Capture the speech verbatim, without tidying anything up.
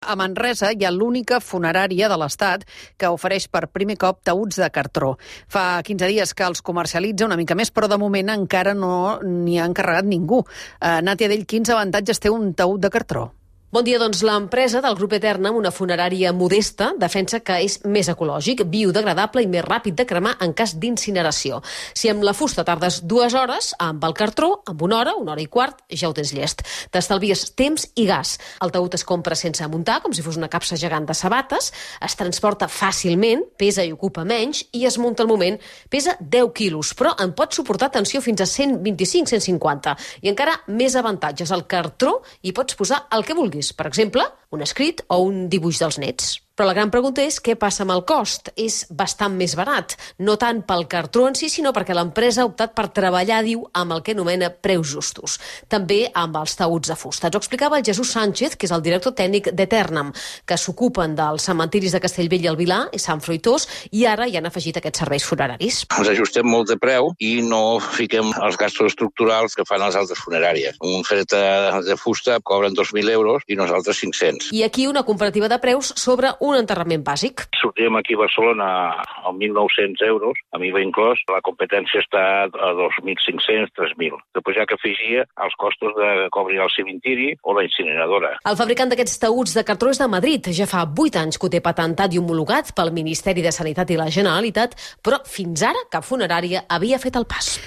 A Manresa hi ha l'única funerària de l'Estat que ofereix per primer cop taüts de cartró. Fa quinze dies que els comercialitza una mica més, però de moment encara no n'hi ha encarregat ningú. Uh, Nàtia Dell, quins avantatges té un taüt de cartró? Bon dia, doncs l'empresa del grup Eterna, una funerària modesta, defensa que és més ecològic, biodegradable i més ràpid de cremar en cas d'incineració. Si amb la fusta tardes dues hores, amb el cartró, amb una hora, una hora i quart, ja ho tens llest. T'estalvies temps i gas. El taüt es compra sense muntar, com si fos una capsa gegant de sabates, es transporta fàcilment, pesa i ocupa menys, i es munta al moment. Pesa deu quilos, però en pot suportar tensió fins a cent vint-i-cinc a cent cinquanta. I encara més avantatges. Al cartró hi pots posar el que vulguis. Per exemple, un escrit o un dibuix dels nets. Però la gran pregunta és què passa amb el cost. És bastant més barat, no tant pel cartró en si, sinó perquè l'empresa ha optat per treballar, diu, amb el que anomena preus justos. També amb els taüts de fusta. Ens ho explicava el Jesús Sánchez, que és el director tècnic d'Eternam, que s'ocupen dels cementiris de Castellbell i el Vilar i Sant Fruitós, i ara hi han afegit aquests serveis funeraris. Ens ajustem molt de preu i no fiquem els gastos estructurals que fan les altres funeràries. Un fret de fusta cobren dos mil euros i nosaltres cinc-cents. I aquí una comparativa de preus sobre un enterrament bàsic. Sortim aquí a Barcelona a mil nou-cents euros, a mi va inclòs, la competència està a dos mil cinc-cents, tres mil. Després ja que afegia els costos de cobrir el cementiri o la incineradora. El fabricant d'aquests taüts de cartró és de Madrid. Ja fa vuit anys que ho té patentat i homologat pel Ministeri de Sanitat i la Generalitat, però fins ara cap funerària havia fet el pas.